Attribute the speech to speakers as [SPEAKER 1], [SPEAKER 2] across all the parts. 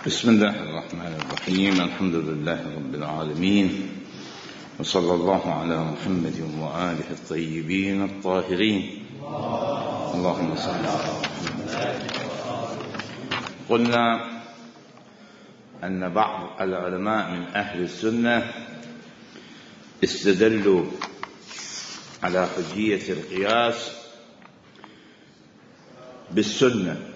[SPEAKER 1] بسم الله الرحمن الرحيم. الحمد لله رب العالمين، وصلى الله على محمد وآله الطيبين الطاهرين. اللهم صل على محمد. قلنا أن بعض العلماء من أهل السنة استدلوا على حجية القياس بالسنة،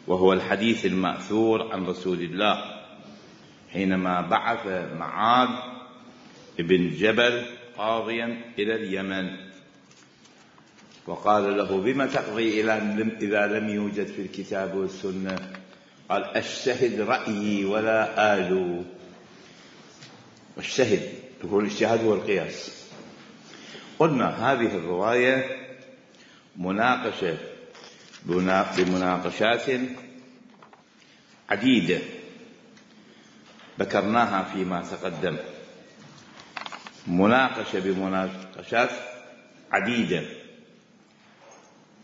[SPEAKER 1] وهو الحديث المأثور عن رسول الله حينما بعث معاذ بن جبل قاضيا إلى اليمن، وقال له: بما تقضي إذا لم يوجد في الكتاب والسنة؟ قال: أجتهد رأيي ولا آلو. واجتهد هو الاجتهاد هو القياس. قلنا هذه الرواية مناقشة بمناقشات عديدة ذكرناها فيما تقدم، مناقشة بمناقشات عديدة،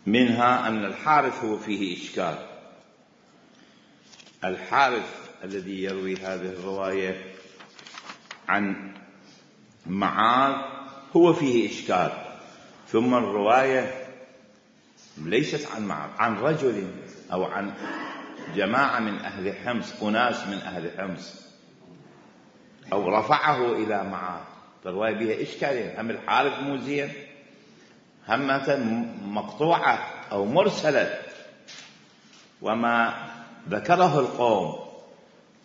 [SPEAKER 1] منها أن الحارث هو فيه إشكال. الحارث الذي يروي هذه الرواية عن معاذ هو فيه إشكال. ثم الرواية ليست عن معاذ، عن رجل أو عن جماعة من أهل حمص، أناس من أهل حمص، أو رفعه إلى معاذ، فالرواية بها إشكالين: هم الحارث مو زين، همة مقطوعة أو مرسلة. وما ذكره القوم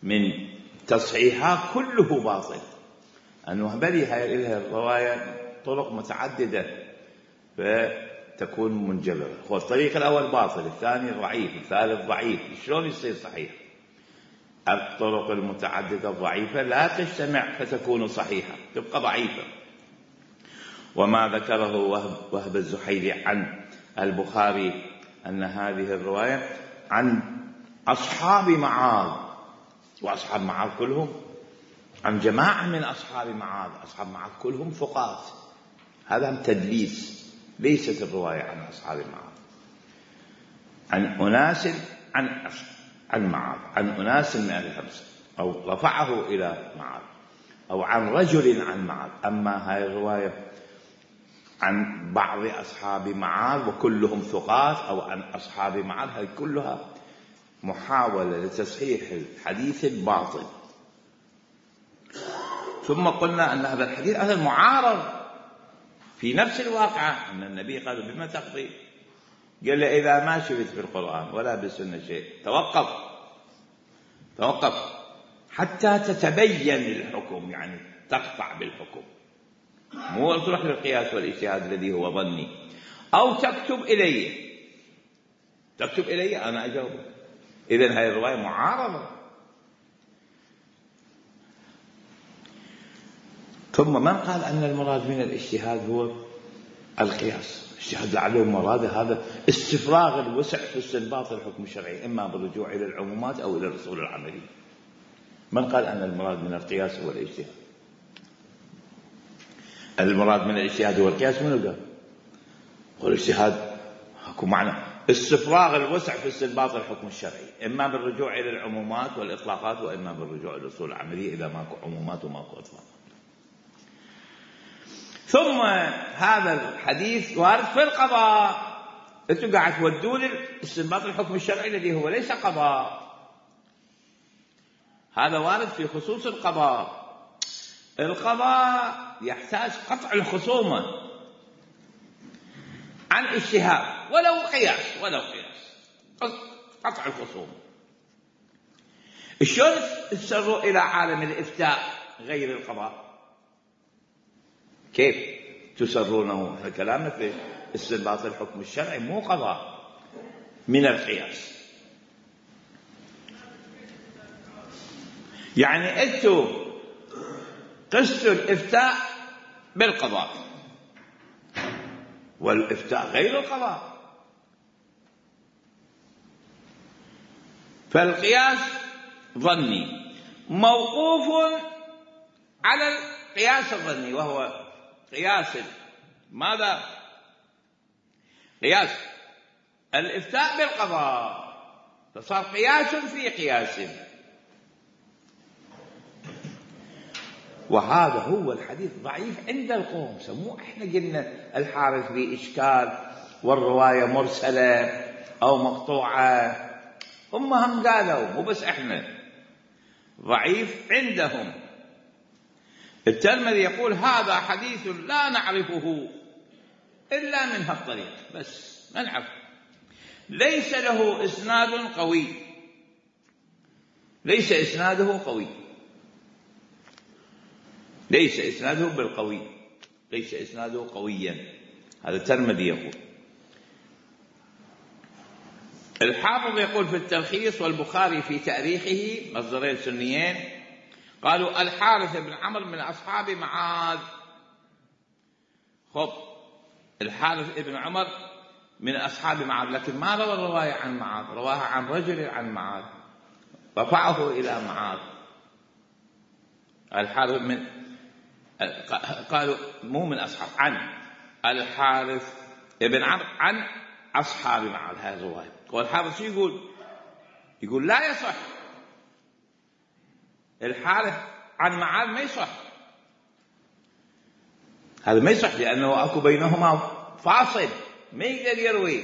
[SPEAKER 1] من تصحيحات كله باطل، أنه بلي هذه الرواية طرق متعددة فتكون منجبرة. هو الطريق الأول باطل، الثاني ضعيف، الثالث ضعيف، شلون يصير صحيح؟ الطرق المتعددة الضعيفة لا تجتمع فتكون صحيحة، تبقى ضعيفة. وما ذكره وهب الزحيلي عن البخاري أن هذه الرواية عن أصحاب معاذ، وأصحاب معاذ كلهم عن جماعة من أصحاب معاذ، أصحاب معاذ كلهم ثقات، هذا تدليس. ليست الرواية عن أصحاب معاذ، عن أناس عن معاذ، عن أناس من أهل حمص، أو رفعه إلى معاذ، أو عن رجل عن معاذ. أما هذه الرواية عن بعض أصحاب معاذ وكلهم ثقات، أو عن أصحاب معاذ، هذه كلها محاولة لتصحيح الحديث الباطل. ثم قلنا أن هذا الحديث هذا معارض في نفس الواقعة، أن النبي قال: بما تقضي؟ قال له: إذا ما شفت في القرآن ولا بالسنة شيء توقف حتى تتبين الحكم، يعني تقطع بالحكم، مو تروح للقياس والاجتهاد الذي هو ظني، أو تكتب إلي أنا أجاوبك. إذن هذه الرواية معارضة. ثم من قال أن المراد من الاجتهاد هو القياس؟ الاجتهاد لعله مراد هذا استفراغ الوسع في استنباط الحكم الشرعي، إما بالرجوع إلى العمومات أو إلى الأصول العملية. من قال أن المراد من القياس هو الاجتهاد؟ المراد من الاجتهاد هو القياس، منو قال؟ والاجتهاد اكو معنى استفراغ الوسع في استنباط الحكم الشرعي، إما بالرجوع إلى العمومات والإطلاقات، وإما بالرجوع إلى الأصول العملية إذا ماكو عمومات وماكو إطلاقات. ثم هذا الحديث وارد في القضاء، انتم قاعد تودون استنباط الحكم الشرعي الذي هو ليس قضاء، هذا وارد في خصوص القضاء. القضاء يحتاج قطع الخصومة عن اجتهاد ولو قياس، قطع الخصومة. شلون تسروا إلى عالم الإفتاء غير القضاء؟ كيف تسرونه؟ كلامنا في استنباط الحكم الشرعي مو قضاء من القياس. يعني أنتم قستوا الإفتاء بالقضاء، والإفتاء غير القضاء، فالقياس ظني موقوف على القياس الظني، وهو قياس ماذا؟ قياس الإفتاء بالقضاء، فصار قياس في قياس. وهذا هو الحديث ضعيف عند القوم. مو احنا قلنا الحارث به إشكال والرواية مرسلة أو مقطوعة، هم قالوا، مو بس احنا، ضعيف عندهم. الترمذي يقول هذا حديث لا نعرفه إلا من هالطريق، بس ما نعرف، ليس له إسناد قوي، ليس إسناده قوي، ليس إسناده بالقوي، ليس إسناده قويا. هذا الترمذي يقول. الحافظ يقول في التلخيص والبخاري في تاريخه، مصدرين سنيين، قالوا الحارث بن عمرو من أصحاب معاذ. خب، الحارث بن عمر من أصحاب معاذ، لكن ما روى الرواية عن معاذ، رواها عن رجل عن معاذ، رفعه إلى معاذ. الحارث من، قالوا مو من أصحاب، عن الحارث بن عمرو عن أصحاب معاذ، هذه الرواية. والحارث شو يقول؟ يقول لا يصح، الحارث عن معاذ ما يصح، هذا ما يصح، لأنه أكو بينهما فاصل، ما يقدر يروي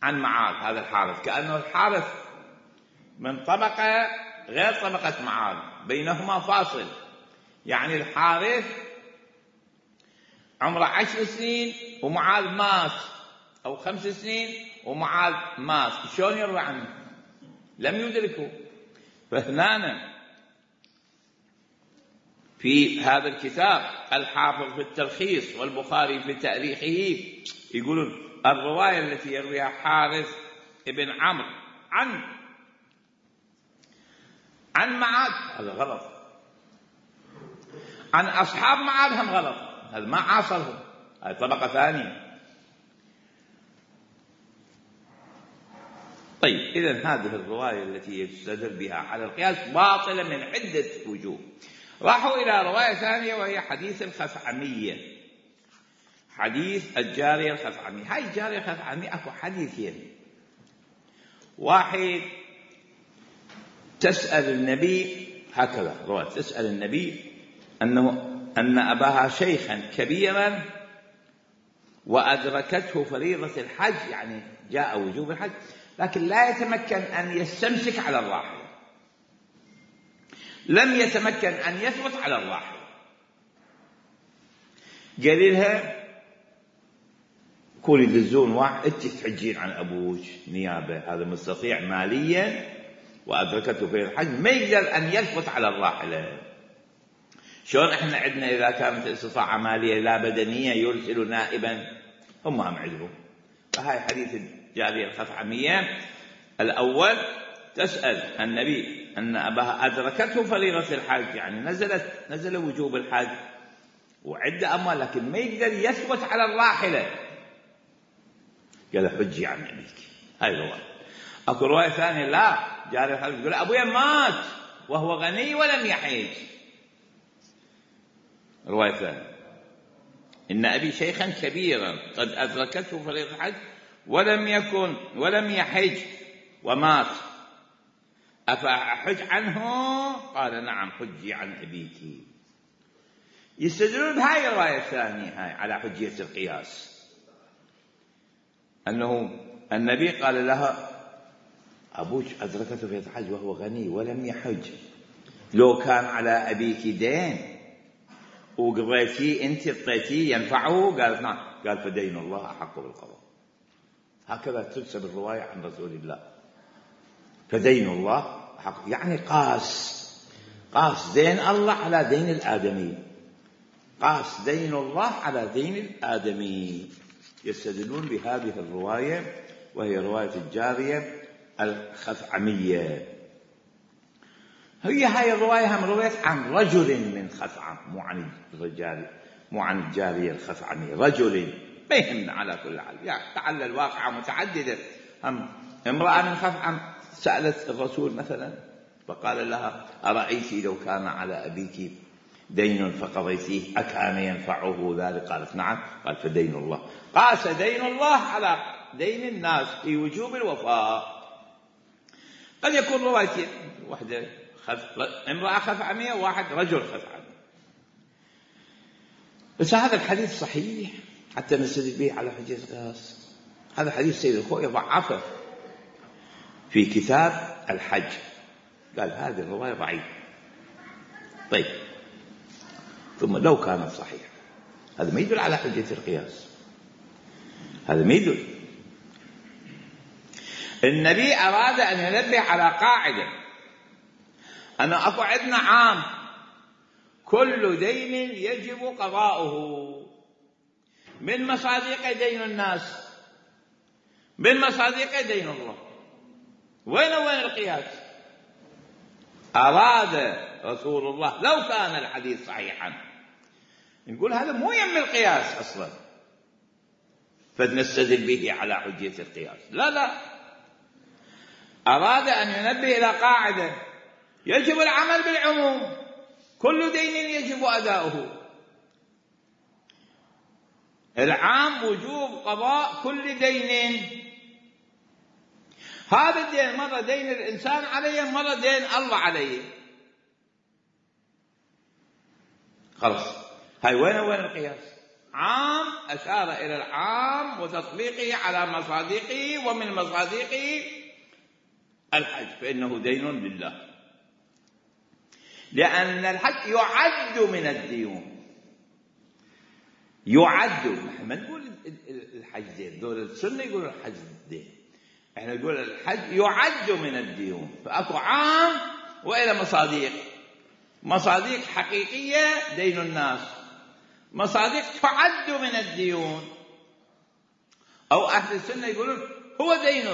[SPEAKER 1] عن معاذ. هذا الحارث كأنه الحارث من طبقة غير طبقة معاذ، بينهما فاصل. يعني الحارث عمره 10 سنين ومعاذ مات، أو 5 سنين ومعاذ مات، شلون يروي عنه؟ لم يدركه. فهنا في هذا الكتاب الحافظ في التلخيص والبخاري في تاريخه يقولون الرواية التي يرويها حارث بن عمرو عن معاذ هذا غلط، عن أصحاب معاذ هم غلط، هذا ما عاصرهم، هذه طبقة ثانية. طيب، إذن هذه الرواية التي يستدل بها على القياس باطلة من عدة وجوه. راحوا إلى رواية ثانية وهي حديث الخثعمية، حديث الجارية الخثعمية. هاي الجارية الخثعمية أكو حديثين، واحد تسأل النبي، هكذا رواية، تسأل النبي أن أباها شيخا كبيرا وأدركته فريضة الحج، يعني جاء وجوب الحج، لكن لا يتمكن أن يستمسك على الراحلة، لم يتمكن أن يثبت على الراحلة. قال لها كوني تدزون واحد، أنت تحجين عن أبوك نيابة، هذا مستطيع ماليا وأدركته في الحج، ما يقدر أن يثبت على الراحلة. شلون إحنا عندنا إذا كانت استطاعة مالية لا بدنية يرسل نائبا، هم عندهم. فهاي حديث الجارية الخثعمية الأول، تسأل النبي أن أباها أدركته فريضة الحج، يعني نزل وجوب الحج وعدة أموال، لكن ما يقدر يثبت على الراحلة. قال حجي عن أبيك. هاي رواية. أكو رواية ثانية لا، جاري الحج يقول أبويا مات وهو غني ولم يحج. رواية ثانية إن أبي شيخا كبيرا قد أدركته فريضة الحج ولم يحج ومات، أفأحج عنه؟ قال نعم، حجي عن أبيك. يستدلون بهاي الرواية الثانية هاي على حجية القياس، أنه النبي قال لها أبوك أدركته في الحج وهو غني ولم يحج، لو كان على أبيك دين وقضيتي أنت اعطيتيه ينفعه؟ قالت نعم. قال فدين الله أحق بالقضاء. هكذا تنسب الرواية عن رسول الله، فدين الله أحق، يعني قاس دين الله على دين الآدمي، قاس دين الله على دين الآدمي. يستدلون بهذه الرواية وهي رواية الجارية الخثعمية. هاي الرواية هم رواية عن رجل من خثعم، مو عن الجارية الخثعمية، رجل، ما يهمنا على كل حال، يعني تعالى الواقعة متعددة. هم امرأة من خثعم سألت الرسول مثلا فقال لها أرأيتي لو كان على أبيك دين فقضيتيه أكان ينفعه ذلك؟ قالت نعم. قال فدين الله، قاس دين الله على دين الناس في وجوب الوفاء. قد يكون روايتين، واحدة امرأة خثعمية وواحد رجل خثعمي، بس هذا الحديث صحيح حتى نستدل به على حجة القياس. هذا حديث سيد الخوئي ضعفه في كتاب الحج، قال هذه الرواية ضعيفة. طيب ثم لو كانت صحيحة هذا ما يدل على حجة القياس، هذا ما يدل. النبي أراد أن ينبه على قاعدة، أن أكو عندنا عام كل دين يجب قضاؤه، من مصادق دين الناس، من مصادق دين الله. وين القياس؟ أراد رسول الله لو كان الحديث صحيحا نقول هذا مو يم القياس أصلا فنستدل به على حجية القياس. لا، أراد أن ينبه إلى قاعدة يجب العمل بالعموم، كل دين يجب أداؤه. العام وجوب قضاء كل دين. هذا الدين مرة دين الإنسان عليه، مرة دين الله عليه. خلاص هاي وين القياس؟ عام أشار إلى العام وتطبيقه على مصادقه، ومن مصادقه الحج فإنه دين لله، لأن الحج يعد من الديون. يعد، ما نقول الحج دين، دول السنة يقولوا الحج دين، احنا نقول الحج يعد من الديون. فأكو عام وإلى مصادق، مصادق حقيقية دين الناس، مصادق تعد من الديون. أو أهل السنة يقولون هو دين،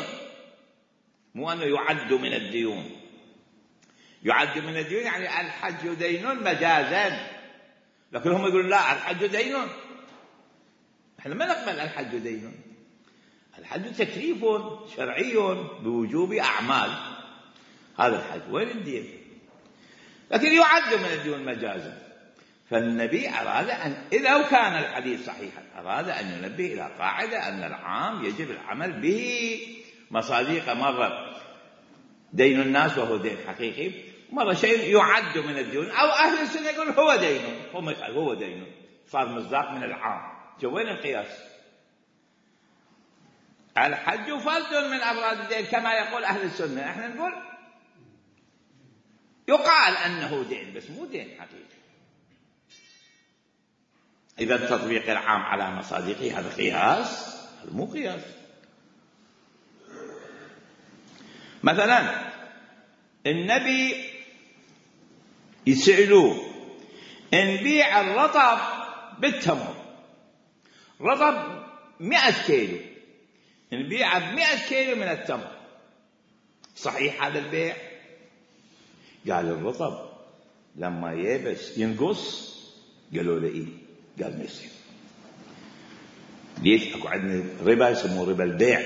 [SPEAKER 1] مو أنه يعد من الديون. يعد من الديون يعني الحج دين مجازا، لكن هم يقولون لا الحج دين. احنا ما نقبل الحج دين. الحج تكليف شرعي بوجوب أعمال، هذا الحج وين الدين؟ لكن يعد من الديون مجازا. فالنبي أراد أن إذا كان الحديث صحيحا أراد أن ينبه إلى قاعدة أن العام يجب العمل به. مصادق مرة دين الناس وهو دين حقيقي، مرة شيء يعد من الديون. أو أهل السنة يقول هو دين، هو دين، صار مصداق من العام. وين القياس؟ الحج فرد من أفراد الدين كما يقول أهل السنة، احنا نقول يقال أنه دين بس مو دين حقيقي. إذا تطبيق العام على مصادقه هذا قياس، هذا مو قياس. مثلا النبي يسألوه نبيع الرطب بالتمر، رطب 100 كيلو نبيع ب100 كيلو من التمر، صحيح هذا البيع؟ قال الرطب لما يبس ينقص. قالوا له إيه؟ قال ما يصير. ليش؟ أكو عندنا ربا يسموه ربا البيع،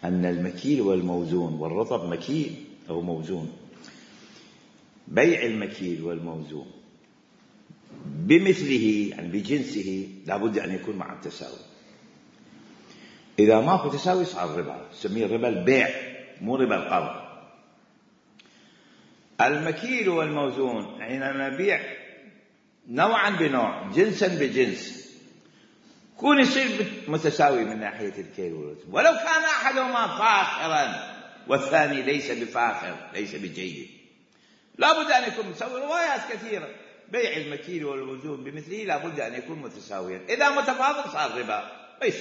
[SPEAKER 1] أن المكيل والموزون، والرطب مكيل أو موزون، بيع المكيل والموزون بمثله يعني بجنسه لابد أن يكون مع التساوي. إذا ماكو تساوي صار ربا، نسميه ربا البيع مو ربا القرض. المكيل والموزون حينما نبيع نوعا بنوع، جنسا بجنس، كون يصير متساوي من ناحية الكيل والوزن، ولو كان أحدهما فاخرا والثاني ليس بفاخر ليس بجيد، لابد أن يكون متساوي. روايات كثيرة بيع المكيل والوزون بمثله لابد أن يكون متساويا. إذا متفاضل صار ربا، ليس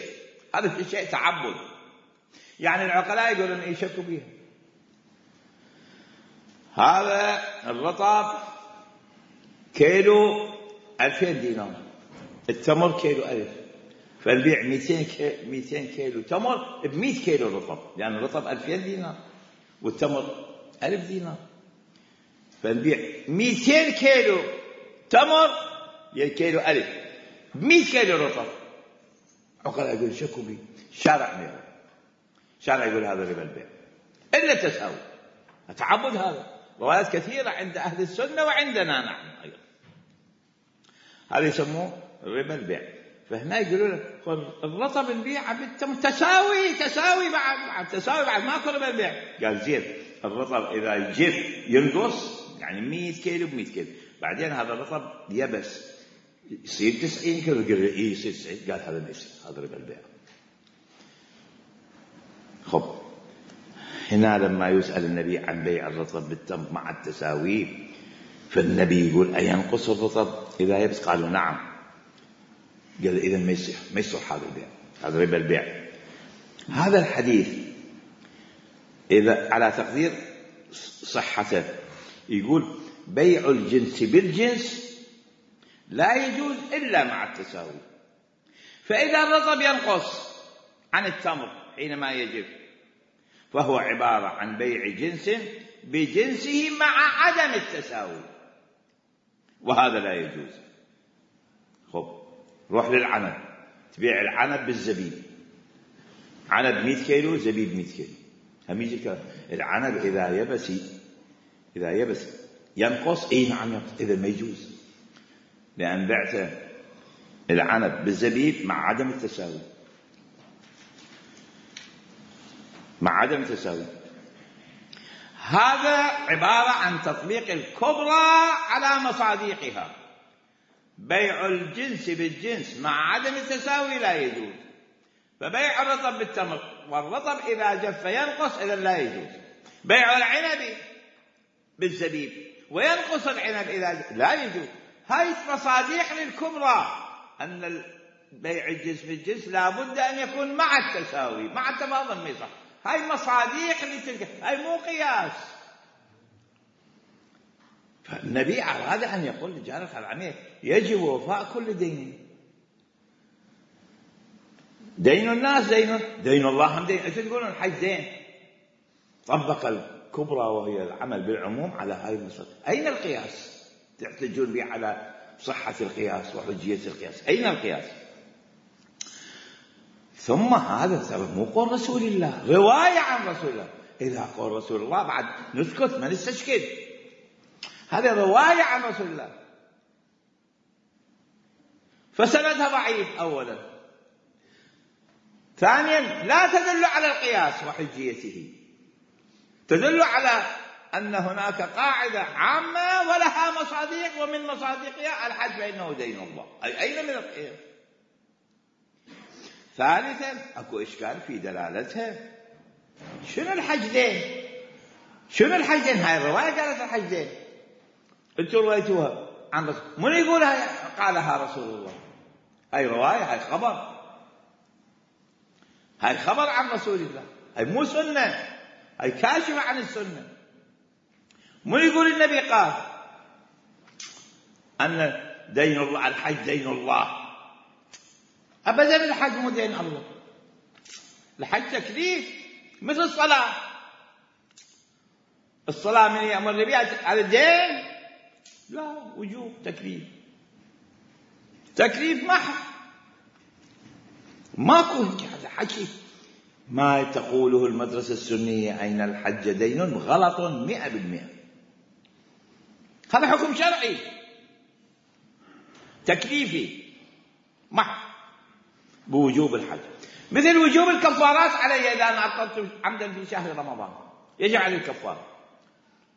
[SPEAKER 1] هذا في شيء تعبد. يعني العقلاء يقولون يشكوا بها. هذا الرطب كيلو 2000 دينار، التمر كيلو 1000، فالبيع 200 كيلو تمر ب100 كيلو رطب، يعني الرطب 2000 دينار والتمر 1000 دينار، فالبيع 200 كيلو تمر كيلو 1000 ب100 كيلو رطب. عقلاء يقول شكوا بي، شارع يقول هذا ربا البيع إلا التساوي، تعبد. هذا روايات كثيرة عند أهل السنة وعندنا نحن أيضا، هذا يسموه ربا البيع. فهنا يقولون الرطب نبيع بالتمر تساوي بعد ماكو ربا البيع. قال زين الرطب إذا يجف ينقص، يعني 100 كيلو ب100 كيلو، بعدين هذا الرطب يبس يصير 90 كيلو. قال إيه يصير 90. قال هذا ما يصير، هذا ربا البيع. خب هنا لما يسأل النبي عن بيع الرطب بالتمر مع التساوي، فالنبي يقول أينقص الرطب إذا يبس؟ قالوا نعم. قال إذن ما يصح هذا البيع، هذا ربا البيع. هذا الحديث إذا على تقدير صحته يقول بيع الجنس بالجنس لا يجوز إلا مع التساوي. فإذا الرطب ينقص عن التمر حينما يجب، فهو عبارة عن بيع جنس بجنسه مع عدم التساوي، وهذا لا يجوز. خب روح للعنب، تبيع العنب بالزبيب، عنب 100 كيلو زبيب 100 كيلو، هم يجي الكلام. العنب إذا يبس ينقص، إيه نعم ينقص، إذا ما يجوز، لأن بعت العنب بالزبيب مع عدم التساوي، مع عدم التساوي. هذا عبارة عن تطبيق الكبرى على مصاديقها. بيع الجنس بالجنس مع عدم التساوي لا يجوز. فبيع الرطب بالتمر، والرطب إذا جف ينقص، إذا لا يجوز. بيع العنب بالزبيب وينقص العنب إذا لا يجوز. هاي مصاديق للكبرى، أن بيع الجنس بالجنس لا بد أن يكون مع التساوي، مع التفاضل ما يصح. هاي مصاديق لتلك، هاي مو قياس. فالنبي أراد أن يقول لجار العميل يجب وفاء كل دين. دين الناس دين الله هم دين. أنتم تقولون الحج دين. طبق الكبرى وهي العمل بالعموم على هاي المصادر. أين القياس؟ تحتجون به على صحة القياس وحجية القياس. أين القياس؟ ثم هذا مو قول رسول الله، رواية عن رسول الله. إذا قول رسول الله بعد نسكت ما نستشكل، هذا رواية عن رسول الله، فسندها ضعيف أولا. ثانيا لا تدل على القياس وحجيته، تدل على أن هناك قاعدة عامة ولها مصاديق، ومن مصاديقها الحج فإنه دين الله. أين من القياس؟ ثالثا أكو إشكال في دلالتها. شنو الحج دين؟ شنو الحج دين؟ هاي الرواية قالت الحج دين، انتم رويتوها عن رسول. من يقولها قالها رسول الله؟ هاي رواية، هاي خبر، هاي خبر عن رسول الله، هاي مو سنة، هاي كاشفة عن السنة. من يقول النبي قال أن دين الله، الحج دين الله؟ أبدا الحج مو دين الله. الحج تكليف مثل الصلاة. الصلاة من يأمر بها على الدين؟ لا، وجوب، تكليف، تكليف محض، ماكو هذا حكي. ما تقوله المدرسة السنية أين الحج دين غلط 100%. هذا حكم شرعي تكليفي محض بوجوب الحج، مثل وجوب الكفارات علي إذا أنا أفطرت عمدا في شهر رمضان، يجب علي الكفارة.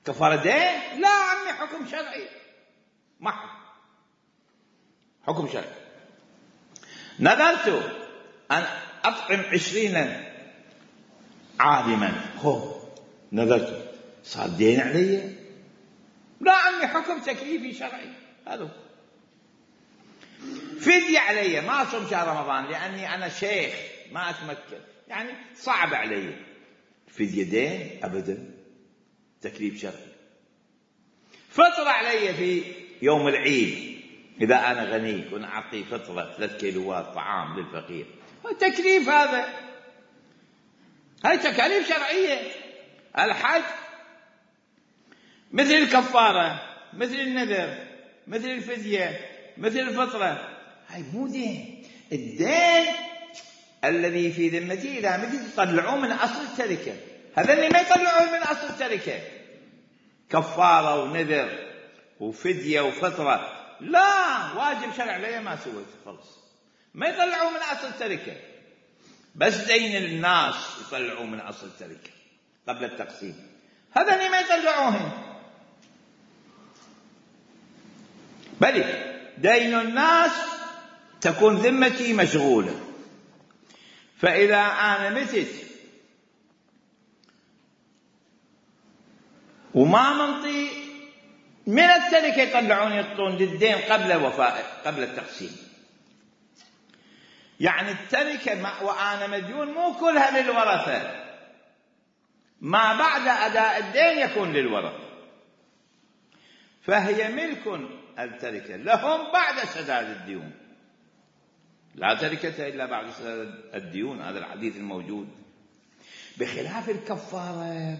[SPEAKER 1] كفارة دين؟ لا عمي، حكم شرعي محض، حكم شرعي. نذرت أن أطعم 20 عالما، نذرت، صار دين علي؟ لا عمي، حكم تكليفي شرعي. هذا فدية علي، ما أصوم شهر رمضان لأني أنا شيخ ما أتمكن، يعني صعب علي. فدية دين؟ أبدا، تكليف شرعي. فطر علي في يوم العيد إذا أنا غني كن أعطي فطرة 3 كيلوات طعام للفقير، تكليف هذا، هاي تكاليف شرعية. الحج مثل الكفارة، مثل النذر، مثل الفدية، مثل الفطرة، هاي مو دين. الدين الذي في ذمتي إذا متى تطلعوه من أصل التركة، هذا اللي ما يطلعوه من أصل التركة، كفارة ونذر وفدية وفطرة، لا، واجب شرع لي ما سويت، خلص ما يطلعوه من أصل التركة. بس دين الناس يطلعوه من أصل التركة قبل التقسيم، هذا اللي ما يطلعوه. بل دين الناس تكون ذمتي مشغولة. فإذا أنا متت وما منطي من التركة يطلعون يعطون للدين قبل الوفاء قبل التقسيم، يعني التركة وأنا مديون مو كلها للورثة، ما بعد أداء الدين يكون للورثة، فهي ملك التركة لهم بعد سداد الديون. لا تركة إلا بعد سداد الديون، هذا الحديث الموجود. بخلاف الكفارة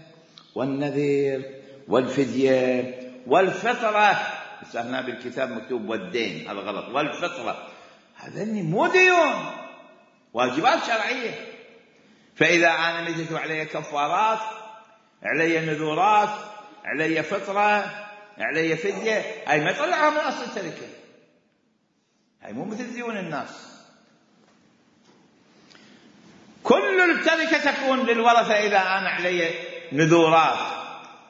[SPEAKER 1] والنذر والفدية والفطرة، هنا بالكتاب مكتوب والدين، هذا غلط، والفطرة، هذني مو ديون، واجبات شرعية. فإذا أنا متت علي كفارات، علي نذورات، علي فطرة، علي فدية، هاي ما يطلعها من أصل التركة، هاي مو مثل ديون الناس. كل التركة تكون للورثة إذا أنا علي نذورات،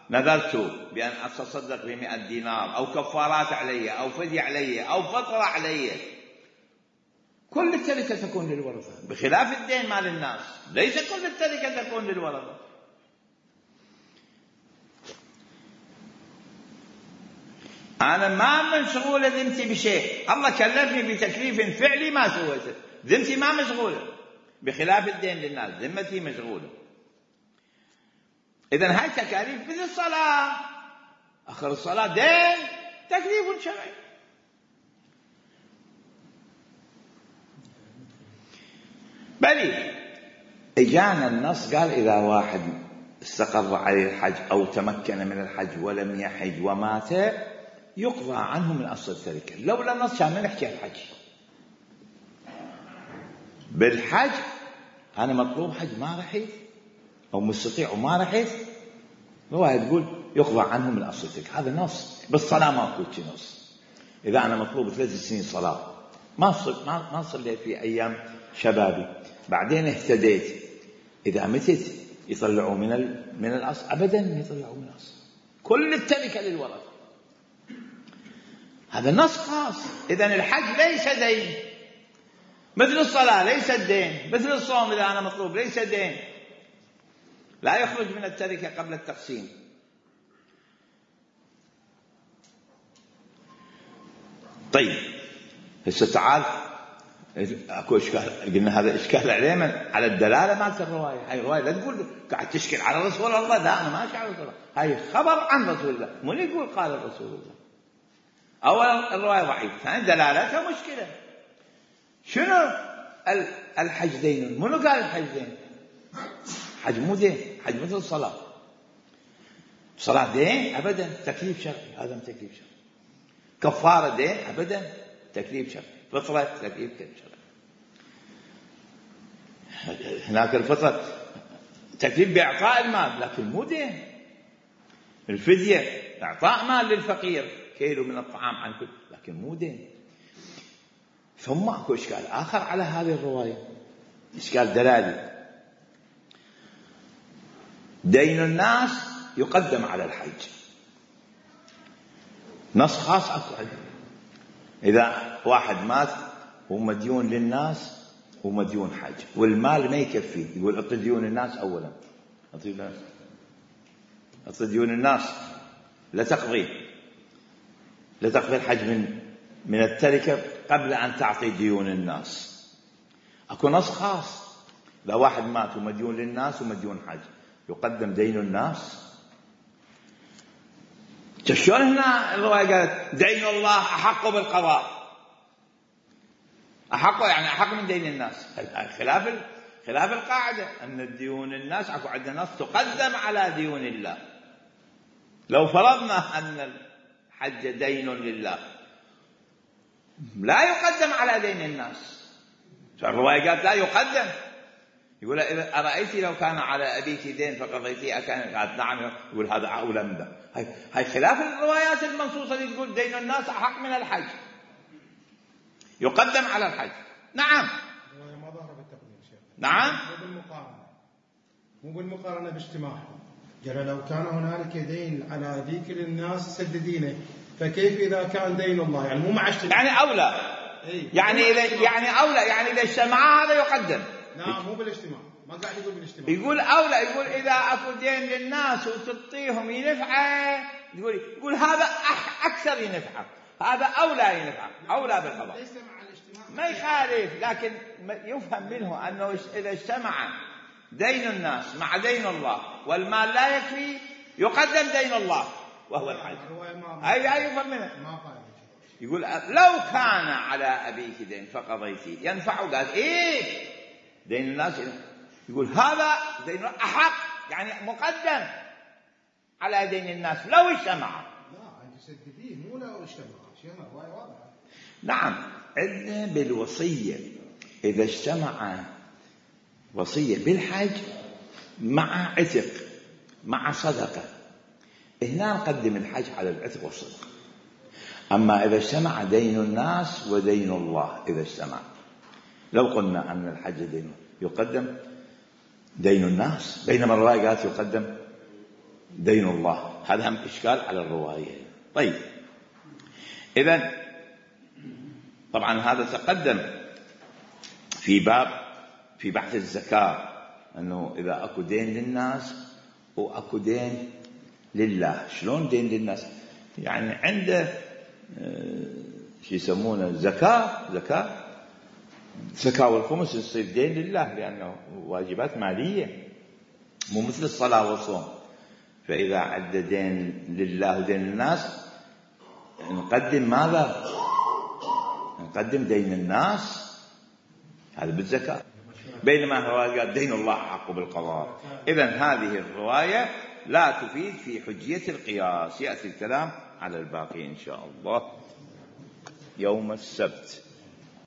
[SPEAKER 1] نذرت بأن أتصدق ب100 دينار، أو كفارات علي، أو فدية علي، أو فطرة علي، كل التركة تكون للورثة، بخلاف الدين مال الناس، ليس كل التركة تكون للورثة. أنا ما مشغولة ذمتي بشيء، الله كلفني بتكليف فعلي ما سويته، ذمتي ما مشغولة، بخلاف الدين للناس ذمتي مشغولة. إذن هاي تكاليف مثل الصلاة، آخر الصلاة دين، تكليف شرعي. بل إجانا النص قال إذا واحد استقر عليه الحج أو تمكن من الحج ولم يحج ومات يقضى عنه من أصل التركة. لولا النص كان نحكي الحج. بالحج أنا مطلوب حج ما رحت أو مستطيع وما رحت، رواية تقول يقضى عنه من أصل التركة، هذا نص. بالصلاة ما أقول شي نص. إذا أنا مطلوب 3 سنين صلاة ما صليت في أيام شبابي، بعدين اهتديت، إذا متت يطلعوا من الأصل؟ أبدا ما يطلعوا من الأصل، كل التركة للورثة. هذا نص خاص. إذن الحج ليس دين، مثل الصلاة ليس دين، مثل الصوم إذا أنا مطلوب ليس دين، لا يخرج من التركة قبل التقسيم. طيب هسه تعال، اكو اشكال، قلنا هذا اشكال عليه من على الدلاله مالت الروايه. هاي الروايه لا تقول قاعد تشكل على رسول الله، لا انا ما اشكل على رسول الله، هاي خبر عن رسول الله، مو يقول قال رسول الله. اولا الروايه ضعيفه، ثانيا دلالتها مشكله. شنو الحج دين؟ منو قال الحج دين؟ حج مو دين، حج مثل الصلاه. صلاه دين ابدا، تكليف شرعي، هذا تكليف شرعي. كفاره دين ابدا، تكليف شرعي. فطرة تكليف شرعي. هناك الفطرة تكليف بإعطاء المال لكن مو دين. الفدية إعطاء مال للفقير، كيلو من الطعام عن كل، لكن مو دين. ثم اكو إشكال آخر على هذه الرواية، إشكال دلالي. دين الناس يقدم على الحج، نص خاص اكو عنده. إذا واحد مات ومديون للناس ومديون حج والمال ما يكفي، يقول اعطي ديون الناس أولا، اعطي ديون الناس، لا تقضي الحج من التركة قبل أن تعطي ديون الناس. أكو نص خاص، إذا واحد مات ومديون للناس ومديون حج يقدم دين الناس. شلون هنا الرواية قالت دين الله أحق بالقضاء؟ أحق يعني أحق من دين الناس، خلاف القاعدة أن الديون الناس أكو عندنا نص تقدم على ديون الله. لو فرضنا أن الحج دين لله لا يقدم على دين الناس، الرواية قالت لا يقدم. يقول أرأيتي لو كان على أبيك دين فقضيتي أكان؟ قالت نعم. يقول هذا أولى من ذا. هاي خلاف الروايات المنصوصة اللي تقول دين الناس أحق من الحج، يقدم على الحج. نعم
[SPEAKER 2] ما ظهر بالتقديم شيخ.
[SPEAKER 1] نعم
[SPEAKER 2] مو بالمقارنة باجتماعهم. قال لو كان هنالك دين على أبيك للناس سددينه، فكيف إذا كان دين الله يعني مو مع اجتماع؟
[SPEAKER 1] يعني أولى. يعني أولى، يعني إذا اجتمعا هذا يقدم.
[SPEAKER 2] لا مو بالاجتماع، ما قاعد يقول بالاجتماع.
[SPEAKER 1] يقول أولى، يقول إذا أكو دين للناس وتعطيهم ينفعه، يقول هذا أكثر ينفعه، هذا أولى ينفعه، أولى بالقضاء.
[SPEAKER 2] ليس مع الاجتماع
[SPEAKER 1] ما يخالف، لكن يفهم منه أنه إذا اجتمع دين الناس مع دين الله والمال لا يكفي يقدم دين الله وهو الحج. أي يفهم منه. يقول لو كان على أبيك دين فقضيتي ينفعه، قال إيه دين الناس، يقول هذا دين أحق، يعني مقدم على دين الناس لو اجتمع.
[SPEAKER 2] لا أنت سدديه مو لو اجتمع، شيء واضحة.
[SPEAKER 1] نعم، عندنا بالوصية إذا اجتمع وصية بالحج مع عتق مع صدقة، هنا نقدم الحج على العتق والصدقة. أما إذا اجتمع دين الناس ودين الله، إذا اجتمع لو قلنا أن الحج دين يقدم دين الناس، بينما الرواية قالت يقدم دين الله. هذا هم إشكال على الرواية. طيب إذن طبعا هذا تقدم في بحث الزكاة، أنه إذا أكو دين للناس وأكو دين لله. شلون دين للناس؟ يعني عنده شو يسمونه زكاة والخمس يصير دين لله، لأنه واجبات مالية مو مثل الصلاة والصوم. فإذا عنده دين لله ودين للناس نقدم ماذا؟ نقدم دين الناس، هذا بالزكاة، بينما الرواية قال دين الله حق بالقضاء. إذن هذه الرواية لا تفيد في حجية القياس. يأتي الكلام على الباقي إن شاء الله يوم السبت.